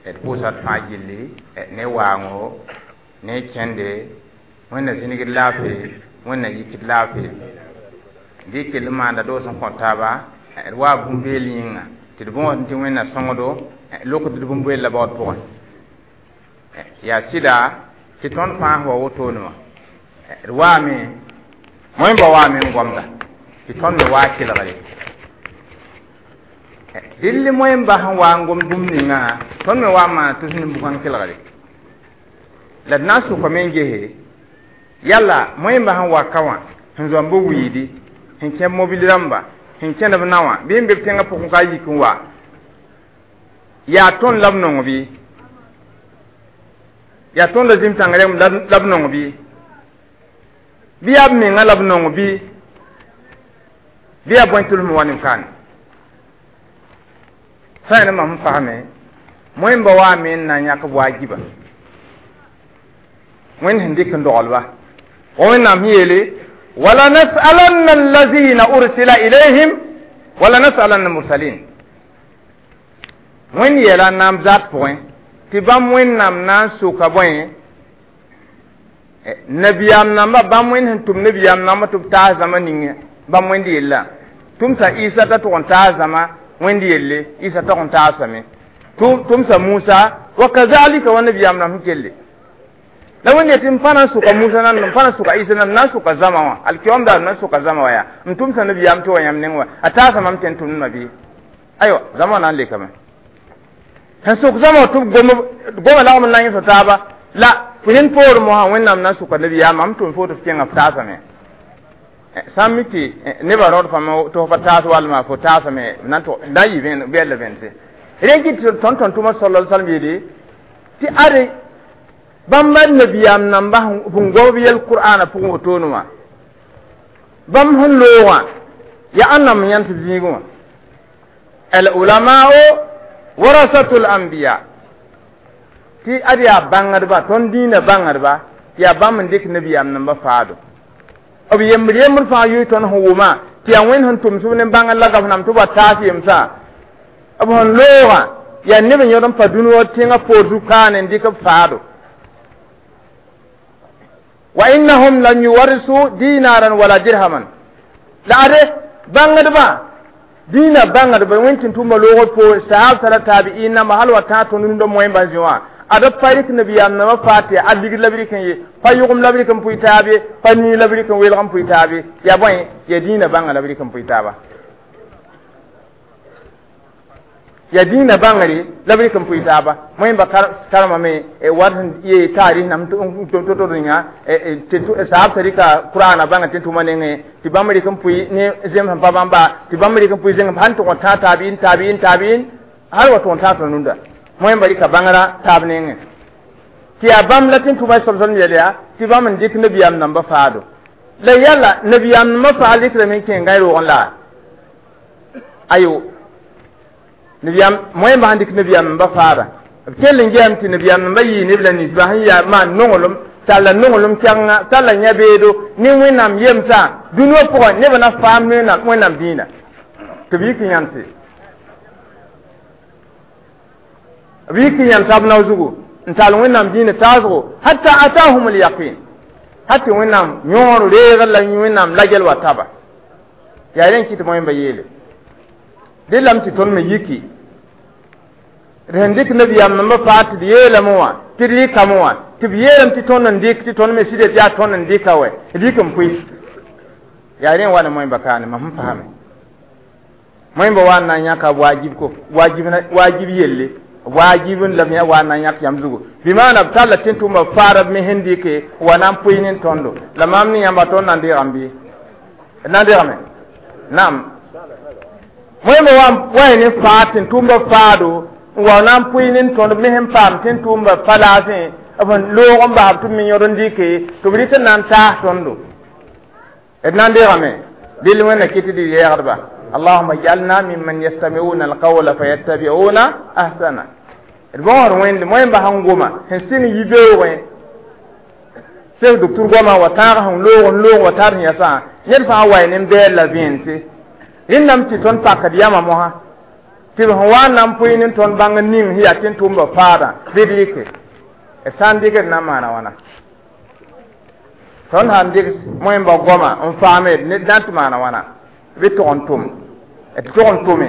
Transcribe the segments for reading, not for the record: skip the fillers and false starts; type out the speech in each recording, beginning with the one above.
D pʋʋsa d fãa gilli ne waango ne kẽnde wẽnna zĩnigd laafɩ wẽnna yikd laafɩ bɩ kell n maanda doos n kõ taaba d waa bũmb-beel yĩnga tɩ d bõosd tɩ wẽnna sõngdo lokd d bũmb-beella baood pʋgẽ yaa sɩda tɩ tõnd fãa wa wotone wã d waame moẽmba waame n gomda tɩ tõnd me waa kelgre dɩll moẽmba sẽn wa n gom bũmb ninga tõnd me wa n maana tʋs ne bugã n kelgre la d na n sʋkame n gese yalla moẽmba sẽn wa ka wã sẽn zoam b wiidi sẽn kẽ mobil rãmba sẽn kẽnd b na wã bɩ n be b tẽngã pʋgẽ ka yik n wa yaa tõnd la b nong bɩ yaa tõnd la zĩm-tãng rẽmb la b nong bɩ bɩ yaa b menga la b nong bɩ bɩ yaa bõe tʋlsm wa nin-kaane sã yẽ mam fasame moẽmba waame n na n yãk b waajiba wẽnd sẽn dɩk n doglba wa wẽnnaam sẽn yeele wala nasalanna allazina ursila ilayhim wala nasalanna mursalin wẽnd yeela n na n zat pʋgẽ tɩ bãmb wẽnnaam na n soka bõe nabiyaam namba bãmb wẽnd sẽn tʋm nabiyaam namba tɩ b taas zãma ninge bãmb wẽnd yella tʋmsa Isa t'a tʋg n taas zãma wẽnd yelle Isa tog n taasame tʋmsa Musa wa kazalika wa nabiyaam nam sẽn kelle la wẽnd yetɩ m pa na n sʋka Musa nan m pa na n sʋka Isa nan n na n sʋka zãma wã alkiyom daar n na n sʋka zãma wã yaa n tʋmsa nabiyaam tɩ wa yãmb neng wã a taasa mam tɩ n tʋmdmã bɩ aywa zãma wã na n lekame sẽn sʋk zãma wã tɩ b goma lagm n na n yẽsg taaba la fo rẽnd poorẽ mosã wẽnnaam na n sʋka nabiyaam mam tʋm fo tɩ f kẽnga f taasame sã n mi tɩ nebã raood fãma tɩ f pa taas walma fo taasame na n na n yɩ bɛɛl vẽnse rẽ kɩ tɩ tõnd tõnd-tʋma sala salm yeele tɩ ade bãmba nabiyaam namba sẽn gob yɛl qur'ana pʋgẽ wotone wã bãmb sẽn loogã yaa ãnnam n yãnd tɩ b zĩigẽ wã al ulamao warasatul anbiya tɩ ad yaa bãngdba tõnd dĩinã bãngdba yaa bãmb n dɩk nabiyaam namba faado b yembr yembr fãa yoe tõnd sẽn wʋma tɩ yaa wẽnd sẽn tʋmsb ne bãngr la gaf nam tɩ b wa taas yemsã b sẽn loogã yaa neb n yõd n pa dũni wa tẽngã poor zu-kaane n dɩk b faado wa innahum lam yuwarisu dinaran wala dirhaman la ade bãngdbã dĩinã bãngdba wẽnd tɩ tʋma loogr poor sahab sala tabi'in namba hal wa tã tõnd rũndã moẽmbã zĩ wã ada pa rɩk nabiyaam nambã faa tɩ a ligd la b rɩk n ye pa yʋgem la b rɩk n pʋɩ taab ye pa nii la b rɩk n welg n pʋɩ taab ye yaa bõe yaa dĩinã bãnga la b rɩk n pʋɩ taaba yaa dĩinã bãngre la b rɩk n pʋɩ taaba moẽmba karemame wat sẽn yee taarɩs nam to-to ninga sahab sã rɩka qur'ana bãnga tɩ tʋma nengẽ tɩ bãmb rɩk n pʋɩ ne zem sẽn pa bãmba tɩ bãmb rɩk n pʋɩ zẽng sãn tʋg n tã taabiin taabiin taabiin hal wa tʋg n tã tõnd rũndã moẽmba rɩka bãngrã taab nengẽ tɩ yaa bãmb la tɩ tʋma soab yɛl yaa tɩ bãmb n dɩk nabiyaam nambã faado la yalla nabiyaam nambã faa rɩkrame n kẽ gãe roogẽ la ayo nabiyaam moẽmba sẽn dɩk nabiyaam nambã faada b kell n gɛɛm tɩ nabiyaam nambã yɩɩ neb la ninsba sẽn yaa maan nonglem talla nonglem kɛngã talla yã-beedo ne wẽnnaam yemsã dũni wã pʋgẽ nebã na faam wẽnnaam dĩinã tɩ b yik n yãmse b yik n yãmsa b nao zugu n tall wẽnnaam dĩinã taasgo hatta atahum lyaqin hat tɩ wẽnnaam yõor reegr la wẽnnaam lagel wa taba yaa rẽ n kɩ tɩ moẽmba yeele dẽ lame tɩ tõnd me yiki d sẽn dɩk nabiyaam nambã faa tɩ d yeelame wã tɩ d rɩkame wã tɩ b yeelame tɩ tõnd n dɩk tɩ tõnd me sɩda tɩ yaa tõnd n dɩka wɛ d yik n pʋɩ yaa rẽ n wa ne moẽmba kaane mam sẽn fasame moẽmba wa n na n yãka waajib ko waajib yelle waajib n la b wa n na n yãk yãmb zugu bɩ maana b talla tɩ tʋma faara b me sẽn dɩke wa na n pʋɩ ne tõndo la maam ne yãmba tõnd na n deegame bɩ d na n deegame naam moẽmba wa ne faa tɩ tʋmba faado n wa na n pʋɩ ne tõnd me sẽn paam tɩ tʋmba pa laasẽ b sẽn loog n basb tɩ b me yõd n dɩke tɩ b rɩk n na n taas tõndo d na n deegame dɩl wẽnna kɩ tɩ d yɛɛgdba اللهم اجعلنا ممن يستمعون القول فيتبعون احسنه d bõosd wẽnd moẽmba sẽn goma sẽn sɩng yi-beoogẽ sek docteur goama wa tãag sẽn loog n loog wa tar sẽn yasã ned fãa wa ne n bɛɛl la vẽense rẽndame tɩ tõnd pakd yãma mosã Tɩ b sẽn wa n na n pʋɩ ne tõnd bãng ning sẽn yaa tɩ n tʋmba faadã bɩ d rɩke d sã n dɩkd na n maana wãna tõnd sãn dɩk moẽmba goama n faame ned na n tɩ maana wãna bɩ tog n tʋm d tog n tʋme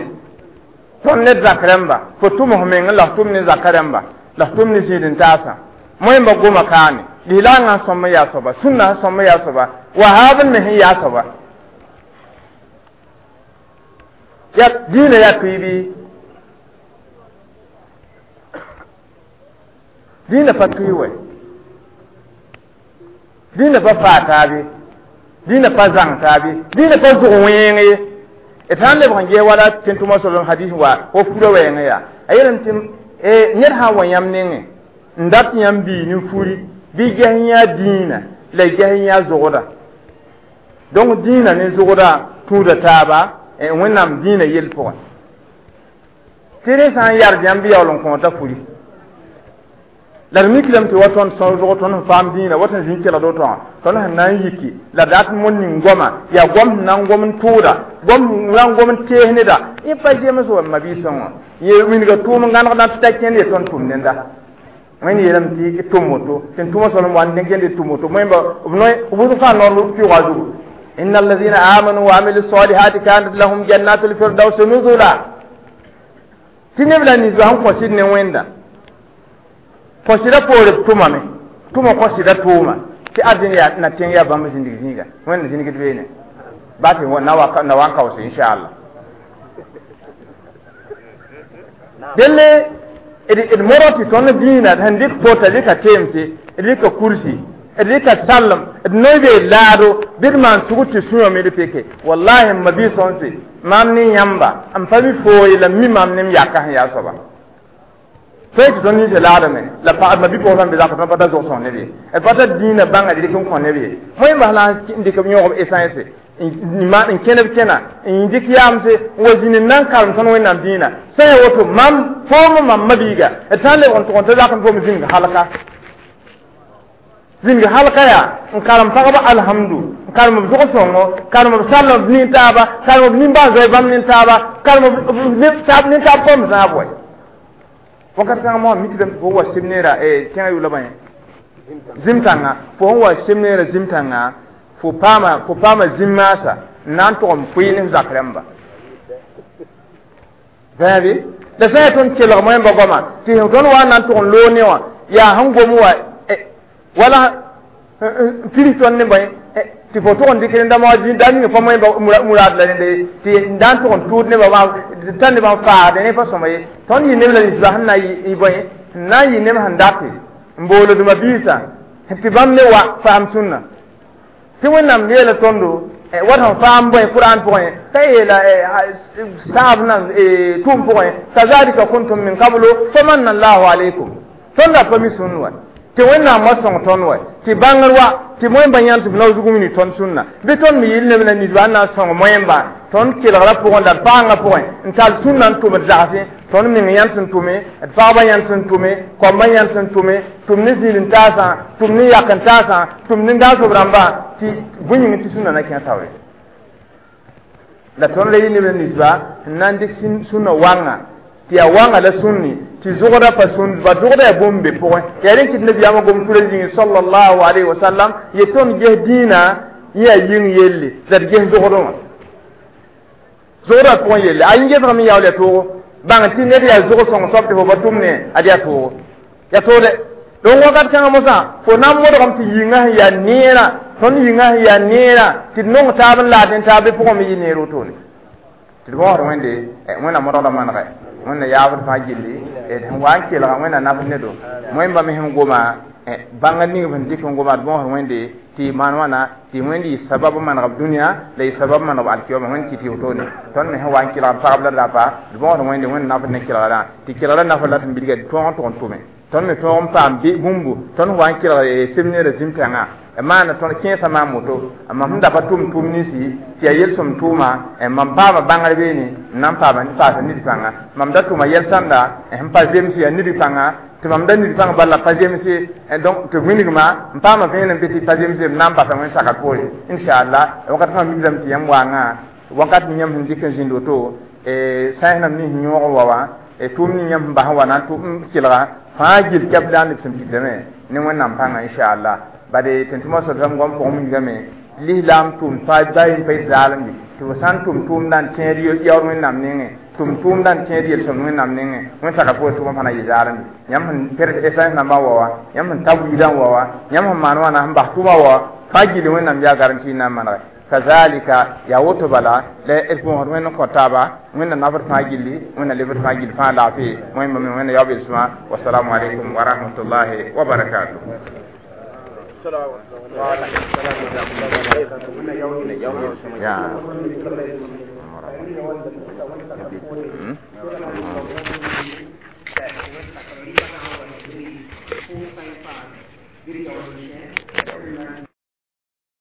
tõnd ned zak rẽmba fo tʋm f meng la f tʋm ne zaka rẽmba la f tʋm ne zĩid n taasã moẽmba goma kaane lislaangã sõm n yaa soaba sũnna sẽn sõm n yaa soaba wahaab n me sẽn yaa soaba ya dĩinã yaa tʋɩ bɩ dĩinã pa tʋɩ wɛ dĩinã pa faa taabe dĩinã pa zãng taabe dĩinã pa zʋg wẽeng ye d sã n lebg n ges wala tẽn-tʋma soalem hadis wa fo fura wɛɛngã yaa a yeelame tɩ ned sã n wa yãmb nengẽ n dat yãmb bii ne furi bɩ ges yã dĩinã la ges yã zʋgda donc dĩinã ne zʋgda tũuda taaba wẽnnaam dĩinã yell pʋgẽ tɩ rẽ sã n yard yãmb bɩ yaool n kõota furi la d miklame tɩ wa tõnd sõs zʋg tõnd sẽn faam dĩinã wa sẽn zĩn kelgd woto wã tõnd sẽn na n yiki la dat n ning goama yaa goam sẽn na n gom n tʋʋda goam sẽn na n gom n tees neda yẽ pa zems wa ma-biis-sõngã wã ye wilga tʋʋm n gãnegdã tɩ ta kẽnd ye tõnd tʋm nenda wẽnd yeelame tɩ tʋm woto tɩ n tʋma solem wa n kẽnd tʋm woto moẽmba b wʋsg fãa noor pɩʋga zugu إن الذين آمنوا وعملوا الصالحات كانت لهم جنات الفردوس نزلا tɩ neb la ninsba sẽn kõsd ne wẽnda kõsda poore b tʋmame tʋma kõsda tʋʋma tɩ arzẽn yaa na tẽng yaa bãmb zĩndig zĩiga wẽnd zĩnigd beene ba tɩ na wa n kaoose inchallah delle d modg tɩ tõnd dĩinã sẽn dɩk fota rɩka teemse d rɩka kursi d rɩka sallem d noy bee laado bɩ d maan sugr tɩ sũyame d peke wallahi m ma-biis sõnse maam ne yãmba n pa mi fooye la mi maam ne m yaka sẽn yaa soaba tõe tɩ tõnd ninsã laadame la pagd ma bi-pʋgã sãn be zak tõnd pa ta zʋg sõng neb ye d pa ta dĩinã bãnga d rɩk n kõ neb ye moẽmbas la n dɩk b yõgb essence n kẽneb kẽna n dɩk yaamse n wa zĩnd n na n karem tõnd wẽnnaam dĩinã sã ya woto mam foom mam ma-biiga d sã n lebg n tʋg n ta zak n foom zĩng halka zĩng halka yaa n karem pagba alhamdu n karem b zʋg sõngo karem b sallem b nin-taaba karem b nimbãan-zoe bãmb nin-taaba karem b nin-taab kom zãab wɛ wakat kãngã moa mikdame tɩ fo wa sɩm neera tẽngã yʋla bã zĩm-tãngã fo sẽn wa sɩm neera zĩm-tãngã fo paama zĩm-maasa n na n tʋg n pʋɩ ne f zak rãmba bãabe la sã n yaa tõnd kelg moẽmba goama tɩ tõnd wa n na n tʋg n loog ne wã yaa sẽn gom wa wala n pirs tõnd ne bõe tɩ fo tʋg n dɩk rẽnda da ning pa moẽmba muraad la rẽnda ye tɩ n da n tʋg n tʋʋd nebã tã nebã n faasde ne pa sõma ye tõnd yɩ neb la ninsba sẽn na yɩ bõe sẽn na n yɩ neb sẽn date n boolodmã biisã tɩ bãmb ne wa faam sũnna tɩ wẽnnaam yeela tõndo wat sẽn faam bõe kuraan pʋgẽ t'a yeela saab nan tʋʋm pʋgẽ kazalika kuntum min qablu famanna allahu alaykum tõnd ra pa mi sũn wa tɩ wẽnnaam wa sõng tõnd wa tɩ bãngr wa tɩ moẽmba yãnd tɩ b nao zug wini tõnd sũnna bɩ tõnd me yɩl neb la ninsba n na n sõng moẽmba tõnd kelgra pʋgẽ la d paangã pʋgẽ n tall sũnna n tʋm d zagsẽ tõnd meng yãnd sẽn tʋme d pagba yãnd sẽn tʋme koambã yãnd sẽn tʋme tʋm ne zĩil n taasã tʋm ne yak n taasã tʋm ne daasb rãmbã tɩ bõe yĩng tɩ sũnna na kẽ taoore la tõnd la yɩ neb la ninsba n na n dɩk sũnna wãnga tɩ yaa wãnga la sũnni tɩ zʋgda pa sũnd ba zʋgda yaa bũmb be pʋgẽ yaa rẽ kɩt nabiyaamã gom tura zĩngi sallallahu alayhi wa sallam ye tõnd ges dĩinã yẽ yaa yĩng yelle la d ges zʋgdẽ wã zʋgdã pʋgẽ yelle a yĩn gesgame yaool yaa toogo bãng tɩ ned yaa zʋg sõng soab tɩ fo pa tʋm ne ad yaa toogo yaa toode donc wakat kãngã mosã fo na n modgame tɩ yĩngã sẽn yaa neerã tõnd yĩngã sẽn yaa neerã tɩ d nong taab n laad ne taab bɩ pʋgẽ me yɩ neer wotone tɩ d bõosd wẽnde wẽnnaam modgda manegɛ wẽnna yaabd fãa gilli d sẽn wa n kelga wẽnna naf nedo moẽmba me sẽn goma bãnga ning b sẽn dɩk n goma d bõosd wẽnde tɩ maan wãna tɩ wẽnd yɩ sabab n maneg b dũniyã la yɩ sabab n maneg b alkiyoma wẽnd kɩ tɩ wotone tõnd me sẽn wa n kelgd pagb la rapa d bõosd wẽnde wẽnd nafd ne kelgrã tɩ kelgrã nafd la sẽn bilga tõog n tʋg n tʋme tõnd me tõog n paam bũmbu tõnd wa n kelg sɩm neera zĩm-tãngã maana tõnd kẽesã maam woto mam sẽn da pa tʋm tʋʋm ninsi tɩ yaa yel-sõm tʋʋma mam paama bãngr beene n na n paama paasa nid pãnga mam da tʋma yɛl-sãnda sẽn pa zems yaa nid pãnga tɩ mam da nid pãng bala pa zemse donc tɩ wilgma n paama vẽenem be tɩ pa zemse b na n basa wẽn-sakat poore inchallah wakat fãa mikdame tɩ yãmb waangã wakat yãmb sẽn dɩk n zĩnd woto Sãens nãmb nins yõog wa wã, tʋʋm ning yãmb sẽn bas n wa na n tʋm kelga fãa gill kɛp la neb sẽn pidsame ne Wẽnnaam pãnga, inchallah. Bade tẽn-tʋmã soalsam goam pʋgẽ wilgame lislaam tʋʋm pa ba yem pa yet zaalemde tɩ fo sã n tʋm tʋʋmdã n tẽed yaood Wẽnnaam nengẽ, tʋm tʋʋmdã n tẽed yel-sõmd Wẽnnaam nengẽ, wẽn saka pʋgẽ tʋʋmã fãa na yɩ zaalemde. Yãmb sẽn per essence nambã wa wã, yãmb sẽn ta wiidã n wa wã, yãmb sẽn maan wãna sẽn bas tʋʋmã wa wã, fãa gilli Wẽnnaam yaa garanti n na n manege. Kazalika yaa woto bala la d pʋʋsd Wẽnd n kõ taaba. Wẽnna nafd fãa gilli, Wẽnna lebd fãa gill fãa laafɩ. Wẽn Wẽnna yaoog belsmã. Wasalaamu aleykum wa rahmatullahi wa barakatuh. Ya.